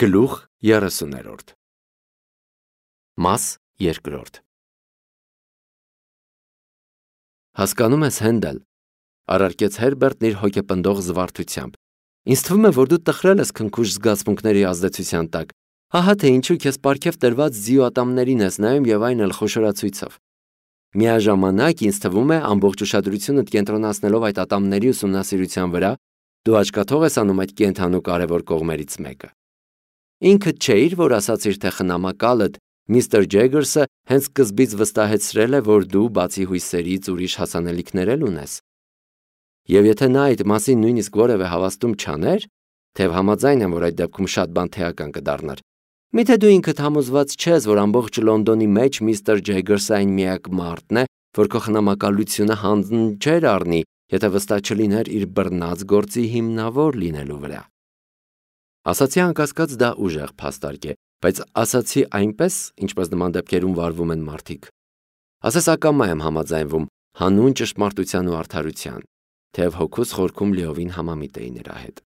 Գլուխ 30-րդ Մաս 2 Հասկանում ես, Հենդել, առարկեց Հերբերտն իր հոգեպնդող զվարթությամբ։ Ինձ թվում է, որ դու տխրել ես քնքուշ զգացմունքների ազդեցության տակ։ Ահա թե ինչու քեզ պարգև տրված ձիուատամներին ես նայում եւ այն էլ խոշորացույցով։ Միաժամանակ ինձ թվում է, ամբողջ ուշադրությունդ կենտրոնացնելով այդ ատամների ուսումնասիրության վրա, դու աչքաթող ես անում այդ կենդանու կարևոր կողմերից մեկը։ Ինքդ չէիր, որ ասացիր, թե խնամակալդ միստր Ջեգերսը հենց սկզբից վստահեցրել է, որ դու բացի հույսերից ուրիշ հասանելիքներ էլ ունես։ Եվ եթե նա այդ մասին նույնիսկ որևէ հավաստում չաներ, թեև համաձայն եմ, որ այդ դեպքում շատ բան թեական կդառնար, միթե դու ինքդ համոզված չես, որ ամբողջ Լոնդոնի մեջ միստր Ջեգերսը այն միակ մարդն է, որ քո խնամակալությունը հանձն չէր առնի, եթե վստահ չլիներ իր բռնած գործի հիմնավոր լինելու վրա։ Ասացի անկասկած դա ուժեղ փաստարկ է, բայց ասացի այնպես, ինչպես նման դեպքերում վարվում են մարդիկ։ Ասես ակամա եմ համաձայնվում հանուն ճշմարտության ու արդարության, թեև հոգուս խորքում լիովին համամիտ էի նրա հետ։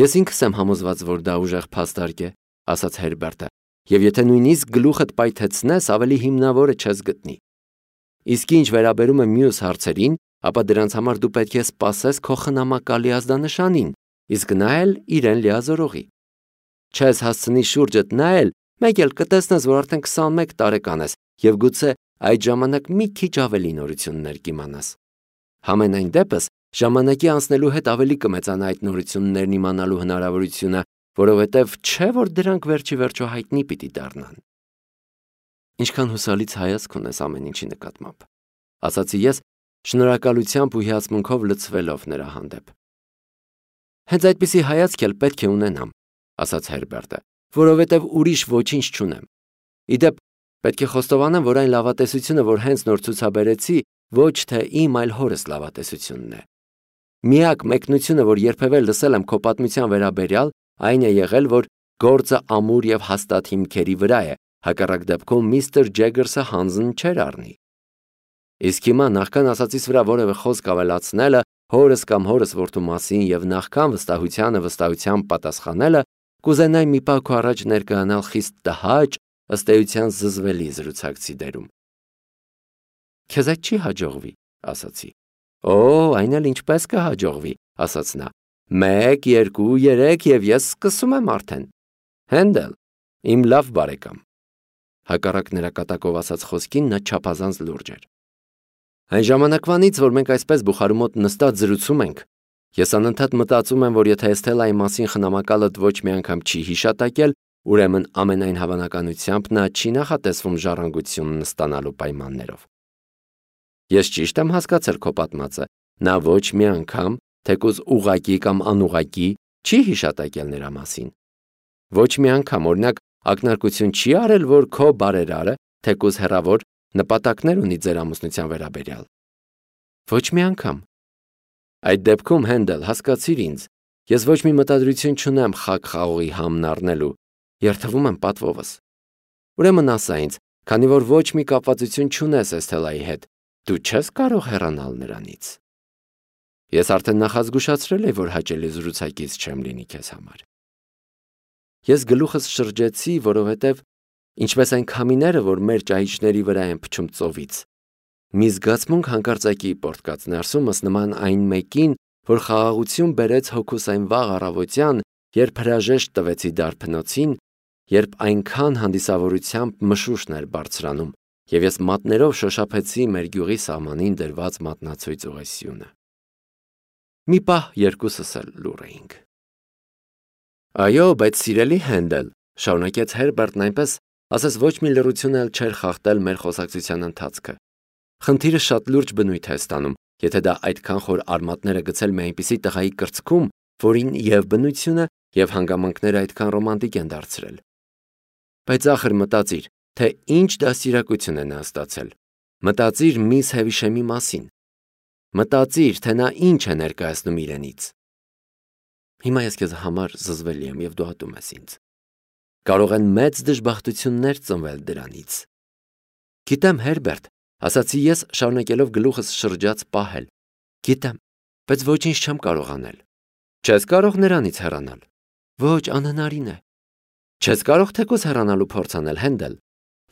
Ես ինքս եմ համոզված, որ դա ուժեղ փաստարկ է, ասաց Հերբերտը, եւ եթե նույնիսկ գլուխդ պայթեցնես, ավելի հիմնավորը չես գտնի։ Իսկ ինչ վերաբերում է մյուս հարցերին, ապա դրանց համար դու պետք է սպասես քո խնամակալի ազդանշանին, իսկ նա էլ իրեն լիազորողի։ Չես հասցնի շուրջդ նայել, մեկ էլ կտեսնես, որ արդեն 21 տարեկան ես եւ գուցե այդ ժամանակ մի քիչ ավելի նորություններ կիմանաս։ Համենայն դեպս, ժամանակի անցնելու հետ ավելի կմեծանա այդ նորություններն իմանալու հնարավորությունը, որովհետեւ չէ որ դրանք վերջի վերջո հայտնի պիտի դառնան։ Ինչքան հուսալից հայացք ունես ամեն ինչի նկատմամբ, ասացի ես, շնորհակալությամբ ու հիացմունքով լցվելով նրա հանդեպ։ Հենց այդպիսի հայացք էլ պետք է ունենամ, ասաց Հերբերտը, որովհետև ուրիշ ոչինչ չունեմ։ Իդեպ, պետք է խոստովանեմ, որ այն լավատեսությունը, որ հենց նոր ցուցաբերեցի, ոչ թե իմ, այլ հորս լավատեսությունն է։ Միակ մեկնությունը, որ երբևէ լսել եմ քո պատմության վերաբերյալ, այն է եղել, որ գործը ամուր եւ հաստատ հիմքերի վրա է, հակառակ դեպքում միստր Ջեգերսը հանձն չէր առնի։ Իսկ հիմա նախքան ասածից վրա որևէ խոսք ավելացնելը, հորս կամ հորս որդու մասին եւ նախքան վստահությանը վստահությամբ պատասխանելը, կուզենայի մի պահ քո առաջ ներկայանալ խիստ տհաճ, ըստ էության զզվելի զրուցակցի դերում։ Քեզ այդ չի հաջողվի, ասացի։ Օ, այն էլ ինչպես կհաջողվի, ասաց նա։ 1, 2, 3 եւ ես սկսում եմ արդեն։ Հենդել, իմ լավ բարեկամ։ Հակառակ նրա կատակով ասած խոսքին նա չափազանց լուրջ էր։ Այն ժամանակվանից, որ մենք այսպես բուխարու մոտ նստած զրուցում ենք, ես անընդհատ մտածում եմ, որ եթե Էսթելայի մասին խնամակալդ ոչ մի անգամ չի հիշատակել, ուրեմն ամենայն հավանականությամբ նա չի նախատեսվում ժառանգությունն ստանալու պայմաններով։ Ես ճիշտ եմ հասկացել քո պատմածը, նա ոչ մի անգամ, թեկուզ ուղղակի կամ անուղղակի, չի հիշատակել նրա մասին։ Ոչ մի անգամ, օրինակ, ակնարկություն չի արել, որ քո բարերարը, թեկուզ հեռավոր, նպատակներ ունի ձեր ամուսնության վերաբերյալ։ Ոչ մի անգամ։ Այդ դեպքում, Հենդել, հասկացիր ինձ, ես ոչ մի մտադրություն չունեմ խաղ խաղողի համն առնելու, երթվում եմ պատվովս։ Ուրեմն ասա ինձ, քանի որ ոչ մի կապվածություն չունես Էսթելայի հետ, դու չես կարող հեռանալ նրանից։ Ես արդեն նախազգուշացրել եմ, որ հաճելի զրուցակից չեմ լինի քեզ համար։ Ես գլուխս շրջեցի, որովհետև ինչպես այն քամիները, որ մեր ճահիճների վրա են փչում ծովից, մի զգացմունք հանկարծակի պորտկաց ներսումս նման այն մեկին, որ խաղաղություն բերեց հոգուս այն վաղ առավոտյան, երբ հրաժեշտ տվեցի դարբնոցին, երբ այնքան հանդիսավորությամբ մշուշն էր բարձրանում, եւ ես մատներով շոշափեցի մեր գյուղի սահմանին դրված մատնացույց ուղեսյունը։ Մի պահ երկուսս էլ լուռ էինք։ Այո, բայց սիրելի Հենդել, շարունակեց Հերբերտն այնպես, ասես ոչ մի լռություն էլ չէր խախտել մեր խոսակցության ընթացքը։ Խնդիրը շատ լուրջ բնույթ է ստանում, եթե դա այդքան խոր արմատները գցել մի այնպիսի տղայի կրծքում, որին եւ բնությունը, եւ հանգամանքները այդքան ռոմանտիկ են դարձրել։ Բայց ախր մտածիր, թե ինչ դաստիարակություն է նա ստացել։ Մտածիր միս Հևիշեմի մասին։ Մտածիր, թե նա ինչ է ներկայացնում իրենից։ Հիմա ես քեզ համար զզվելի եմ եւ դու ատում ես ինձ։ Կարող են մեծ դժբախտություններ ծնվել դրանից։ Գիտեմ, Հերբերտ, ասացի ես, շարունակելով գլուխս շրջած պահել։ Գիտեմ, բայց ոչինչ չեմ կարող անել։ Չես կարող նրանից հեռանալ։ Ոչ, անհնարին է։ Չես կարող թեկուզ հեռանալու փորձ անել, Հենդել։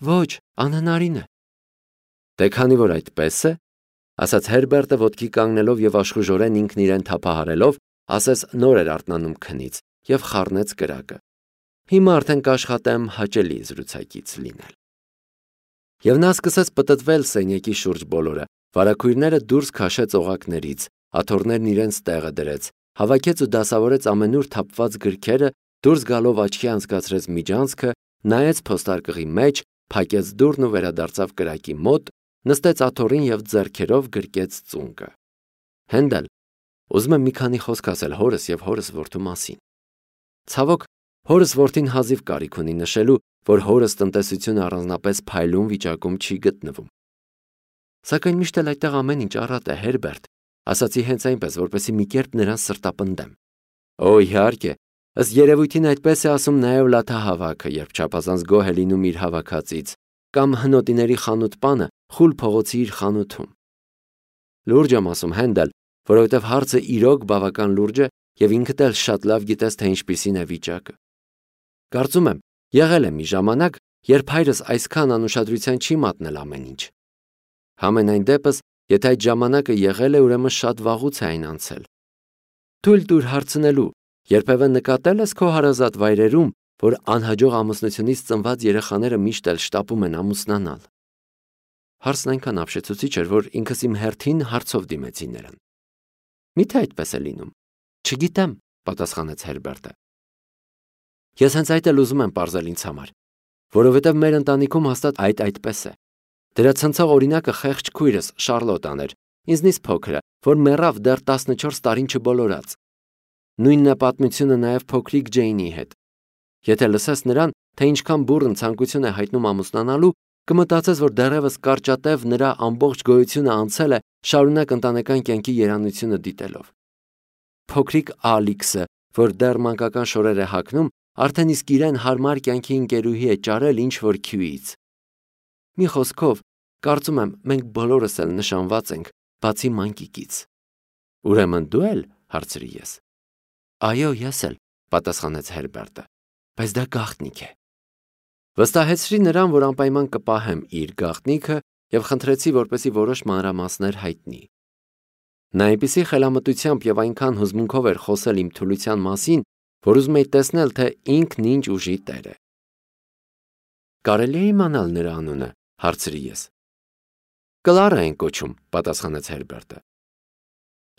Ոչ, անհնարին է։ Դե քանի որ այդպես է, ասաց Հերբերտը ոտքի կանգնելով եւ աշխուժորեն ինքն իրեն թափահարելով, ասես նոր էր արթնանում քնից եւ խառնեց կրակը։ Հիմա արդեն կաշխատեմ հաճելի զրուցակից լինել։ Եվ նա սկսեց պտտվել սենյակի շուրջ բոլորը, վարագույրները դուրս քաշեց օղակներից, աթոռներն իրենց տեղը դրեց, հավաքեց ու դասավորեց ամենուր թափված գրքերը, դուրս գալով աչքի անցկացրեց միջանցքը, նայեց փոստարկղի մեջ, փակեց դուռն ու վերադարձավ կրակի մոտ, նստեց աթոռին եւ ձեռքերով գրկեց ծունկը։ Հենդել, ուզում եմ մի քանի խոսք ասել հորս եւ հորս որդու մասին։ Ցավոք, հորս որդին հազիվ կարիք ունի նշելու, որ հորս տնտեսությունը առանձնապես փայլուն վիճակում չի գտնվում։ Սակայն միշտ էլ այդտեղ ամեն ինչ առատ է, Հերբերտ, ասացի հենց այնպես, որպեսզի մի կերպ նրան սրտապնդեմ։ Օ, իհարկե, ըստ երևույթին այդպես է ասում նաև լաթահավաքը, երբ չափազանց գոհ է լինում իր հավաքածից, կամ հնոտիների խանութպանը խուլ փողոցի իր խանութում։ Լուրջ եմ ասում, Հենդել, որովհետև հարցը իրոք բավական լուրջ է եւ ինքդ էլ շատ լավ գիտես, թե ինչպիսին է վիճակը։ Կարծում եմ, եղել է մի ժամանակ, երբ հայրս այսքան անուշադրության չի մատնել ամեն ինչ։ Համենայն դեպս, եթե այդ ժամանակը եղել է, ուրեմն շատ վաղուց է այն անցել։ Թույլ տուր հարցնելու, երբևէ նկատել ես քո հարազատ վայրերում, որ անհաջող ամուսնությունից ծնված երեխաները միշտ էլ շտապում են ամուսնանալ։ Հարցն այնքան ապշեցուցիչ էր, որ ինքս իմ հերթին հարցով դիմեցի նրան։ Միթե այդպես է լինում։ Չգիտեմ, պատասխանեց Հերբերտը։ Ես հենց այդ էլ ուզում եմ պարզել ինձ համար, որովհետև մեր ընտանիքում հաստատ այդպես է։ Դրա ցնցող օրինակը խեղճ քույրս Շարլոտան էր, ինձնից փոքրը, որ մեռավ դեռ 14 տարին չբոլորած։ Նույնն է պատմությունը նաև փոքրիկ Ջեյնի հետ։ Եթե լսես նրան, թե ինչքան բուռն ցանկություն է հայտնում ամուսնանալու, կմտածես, որ դեռևս կարճատև նրա ամբողջ գոյությունը անցել է շարունակ ընտանեկան կյանքի երանությունը դիտելով։ Փոքրիկ Ալիքսը, որ դեռ մանկական շորեր է հագնում, արդեն իսկ իրեն հարմար կյանքի ընկերուհի է ճարել ինչ-որ քյուից։ Մի խոսքով, կարծում եմ, մենք բոլորս էլ նշանված ենք, բացի մանկիկից։ Ուրեմն դու էլ, հարցրի ես։ Այո, ես էլ, պատասխանեց Հերբերտը, բայց դա գաղտնիք է։ Վստահեցրի նրան, որ անպայման կպահեմ իր գաղտնիքը եւ խնդրեցի, որպեսի որոշ մանրամասներ հայտնի։ Նա այնպիսի խելամտությամբ եւ այնքան հուզմունքով էր խոսել իմ թուլության մասին, որ ուզում էի տեսնել, թե ինքն ինչ ուժի տեր է։ Կարելի է իմանալ նրա անունը, հարցրի ես։ Կլարա են կոչում, պատասխանեց Հերբերտը։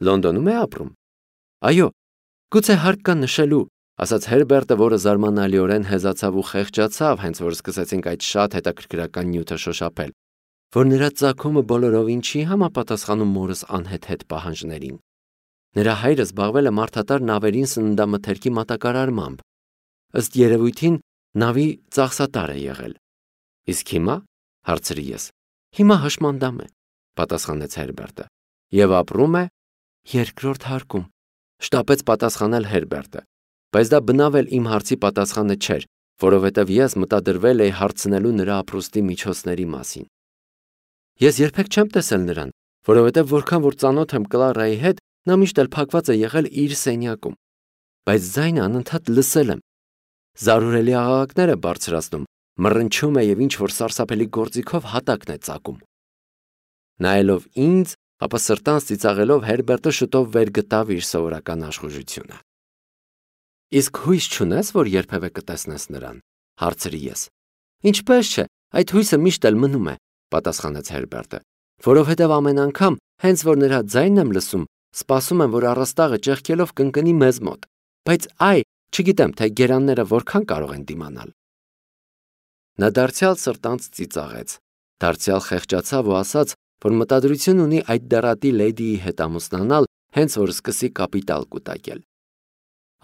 Լոնդոնում է ապրում։ Այո, գուցե հարկ կա նշելու, ասաց Հերբերտը, որը զարմանալիորեն հեզացավ ու խեղճացավ, հենց որ սկսեցինք այդ շատ հետաքրքրական նյութը շոշափել, որ նրա ծագումը բոլորովին չի համապատասխանում մորս անհետ պահանջներին։ Նրա հայրը զբաղվել է մարդատար նավերին սննդամթերքի մատակարարմամբ։ Ըստ երևույթին նավի ծախսատար է եղել։ Իսկ հիմա, հարցրի ես։ Հիմա հաշմանդամ է, պատասխանեց Հերբերտը։ Եվ ապրում է երկրորդ հարկում, շտապեց պատասխանել Հերբերտը, բայց դա բնավ էլ իմ հարցի պատասխանը չէր, որովհետև ես մտադրվել էի հարցնելու նրա ապրուստի միջոցների մասին։ Ես երբեք չեմ տեսել նրան, որովհետև որքան որ ծանոթ եմ Կլարայի հետ, նա միշտ էլ փակված է եղել իր սենյակում, բայց ձայնը անընդհատ լսել եմ։ Զարուրելի աղաղակներ է բարձրացնում, մռնչում է եւ ինչ-որ սարսափելի գործիքով հատակն է ծակում։ Նայելով ինձ, ապա սրտանց ծիծաղելով Հերբերտը շուտով վեր գտավ իր սովորական աշխուժությունը։ Իսկ հույս չունես, որ երբևէ կտեսնես նրան, հարցրի ես։ Ինչպես չէ, այդ հույսը միշտ էլ մնում է, պատասխանեց Հերբերտը, որովհետև ամեն անգամ, հենց որ նրա ձայնն եմ լսում, սպասում եմ, որ առաստաղը ճեղքելով կընկնի մեզ մոտ, բայց այ, չգիտեմ, թե գերանները որքան կարող են դիմանալ։ Նա դարձյալ սրտանց ծիծաղեց, դարձյալ խեղճացավ ու ասաց, որ մտադրություն ունի այդ դեռատի լեդիի հետ ամուսնանալ, հենց որ սկսի կապիտալ կուտակել։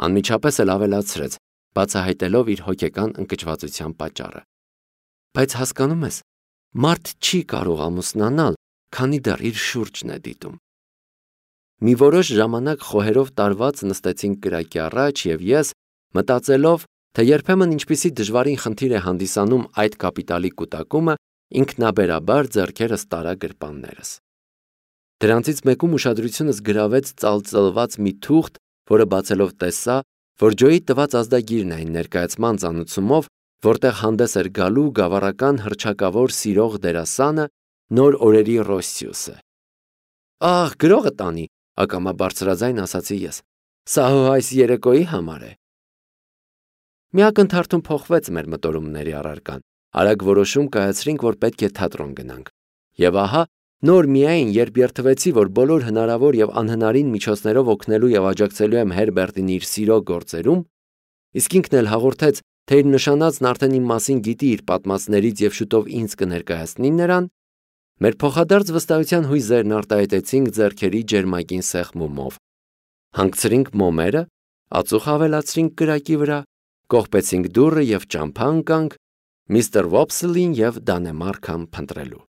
Անմիջապես էլ ավելացրեց, բացահայտելով իր հոգեկան ընկճվածության պատճառը։ Բայց հասկանում ես, մարդ չի կարող ամուսնանալ, քանի դեռ իր շուրջն է դիտում։ Մի որոշ ժամանակ խոհերով տարված նստեցինք կրակի առաջ եւ ես, մտածելով, թե երբեմն ինչպիսի դժվարին խնդիր է հանդիսանում այդ կապիտալի կուտակումը, ինքնաբերաբար ձեռքերս տարա գրպաններս։ Դրանցից մեկում ուշադրությունս գրավեց ծալծլված մի թուղթ, որը բացելով տեսա, որ Ջոյի տված ազդագիրն էին ներկայացման ծանուցումով, որտեղ հանդես էր գալու գավառական հռչակավոր սիրող դերասանը նոր օրերի Ռոսսիուսը։ «Ահ, գրողը տանի», ակամա բարձրաձայն ասացի ես։ «Սա հո այս երեկոյի համար է»։ Մի ակնթարթում փոխվեց մեր մտորումների առարկան։ Արագ որոշում կայացրինք, որ պետք է թատրոն գնանք։ Եվ ահա, նոր միայն, երբ երդվեցի, որ բոլոր հնարավոր եւ անհնարին միջոցներով օգնելու եւ աջակցելու եմ Հերբերտին իր սիրո գործերում, իսկ ինքն էլ հաղորդեց, թե իր նշանածն արդեն իմ մասին գիտի իր պատմածներից եւ շուտով ինձ կներկայացնի նրան, մեր փոխադարձ վստահության հույզերն արտահայտեցինք ձեռքերի ջերմագին սեղմումով։ Հանգցրինք մոմերը, ածուխ ավելացրինք կրակի վրա, կողպեցինք դուռը եւ ճամփա ընկանք միստր Վոփսլին եւ Դանեմարքան փնտրելու։